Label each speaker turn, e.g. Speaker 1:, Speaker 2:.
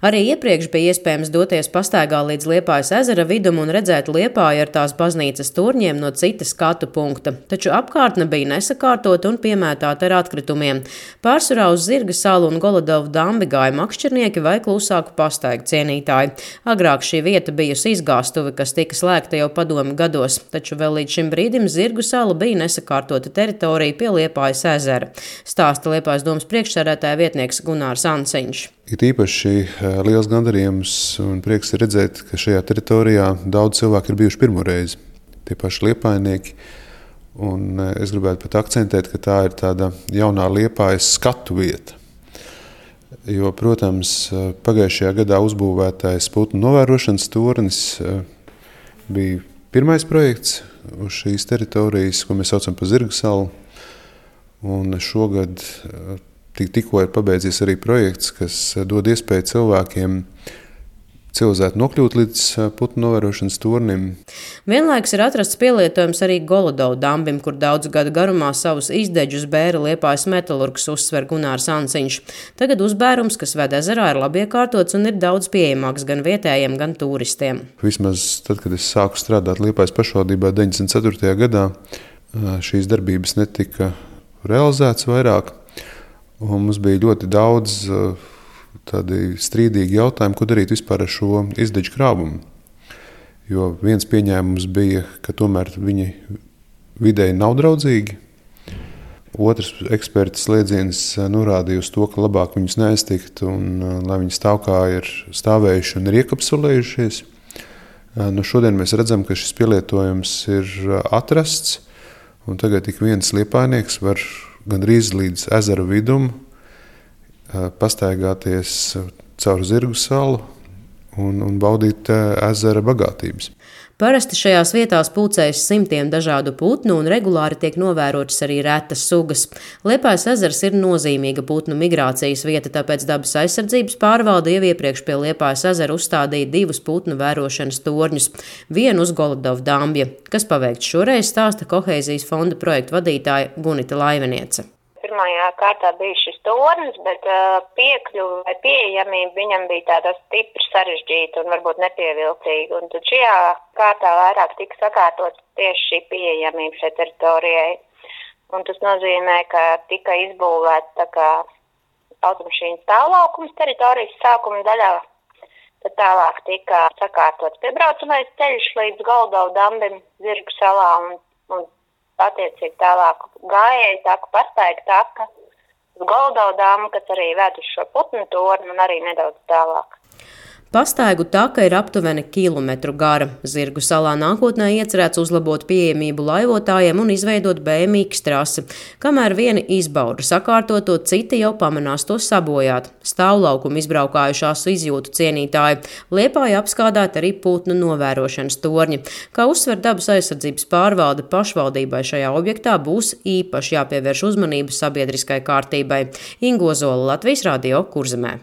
Speaker 1: Arī iepriekš bija iespējams doties pastaigā līdz Liepājas ezera vidum un redzēt Liepāju ar tās baznīcas torņiem no cita skatu punkta, taču apkārtne bija nesakārtota un piemētāta ar atkritumiem. Pārsvarā uz Zirga salu un Golodovu dambi gāja makšķernieki vai klusāku pastaigu cienītāji. Agrāk šī vieta bijusi izgāstuve, kas tika slēgta jau padomju gados, taču vēl līdz šim brīdim Zirgu sala bija nesakārtota teritorija pie Liepājas ezera. Stāsta Liepājas domas priekšsēdētāja vietnieks Gunārs Ansiņš.
Speaker 2: Ir īpaši liels gandarījums un prieks redzēt, ka šajā teritorijā daudz cilvēku ir bijuši pirmo reizi. Tie paši liepājnieki. Un es gribētu pat akcentēt, ka tā ir tāda jaunā Liepājas skatu vieta. Jo, protams, pagājušajā gadā uzbūvētais putnu novērošanas tornis bija pirmais projekts uz šīs teritorijas, ko mēs saucam par Zirga salu. Un šogad tikko ir pabeidzies arī projekts, kas dod iespēju cilvēkiem civilizēti nokļūt līdz putnu novērošanas tornim.
Speaker 1: Vienlaikus ir atrasts pielietojums arī Golodovu dambim, kur daudzu gadu garumā savus izdeģus bēra Liepājas metalurgs, uzsver Gunārs Ansiņš. Tagad uzbērums, kas ved ezerā, ir labi iekārtots un ir daudz pieejamāks gan vietējiem, gan turistiem.
Speaker 2: Vismaz tad, kad es sāku strādāt Liepājas pašvaldībā 94. gadā, šīs darbības netika realizētas vairāk. Un mums bija ļoti daudz tādi strīdīgi jautājumi, ko darīt vispār ar šo izdeģu krāvumu. Jo viens pieņēmums bija, ka tomēr viņi videi nav draudzīgi. Otrs eksperta slēdziens norādīja uz to, ka labāk viņus neaiztikt un lai viņi stāv kā ir stāvējuši un ir iekapsulējušies. Šodien mēs redzam, ka šis pielietojums ir atrasts un tagad ik viens liepājnieks var gandrīz līdz ezera vidum pastaigāties caur Zirgu salu un baudīt ezera bagātības.
Speaker 1: Parasti šajās vietās pulcējas simtiem dažādu putnu un regulāri tiek novērotas arī retas sugas. Liepājas ezers ir nozīmīga putnu migrācijas vieta, tāpēc Dabas aizsardzības pārvalde jau iepriekš pie Liepājas ezera uzstādīja 2 putnu vērošanas torņus, vienu uz Golodovu dambja. Kas paveikts šoreiz, stāsta Kohēzijas fonda projektu vadītāja Gunita Laiveniece.
Speaker 3: Pirmajā kārtā bija šis tornis, bet piekļuva vai pieejamība viņam bija tāda stipri sarežģīta un varbūt nepievilcīga. Un tad šajā kārtā vairāk tika sakārtots tieši šī pieejamība šai teritorijai. Un tas nozīmē, ka tika izbūvēts tā kā automašīnas stāvlaukums teritorijas sākuma daļā. Tad tālāk tika sakārtots piebraucamais ceļš līdz Golodovu dambim Zirgu salā un attiecīgi tālāk gājēji taka, pastaiga taka uz Golodovu dambu, kas arī ved uz šo putnu torni un arī nedaudz tālāk.
Speaker 1: Pastaigu taka ir aptuveni kilometru gara. Zirgu salā nākotnē iecerēts uzlabot pieejamību laivotājiem un izveidot BMX trasi. Kamēr vieni izbauda sakārtot to, citi jau pamanās to sabojāt. Stāvlaukumu izbraukājušās izjūtu cienītāji. Liepāja apskādāt arī putnu novērošanas torņi. Kā uzsver Dabas aizsardzības pārvalde, pašvaldībai šajā objektā būs īpaši jāpievērš uzmanība sabiedriskai kārtībai. Ingo Zola, Latvijas radio, Kurzemē.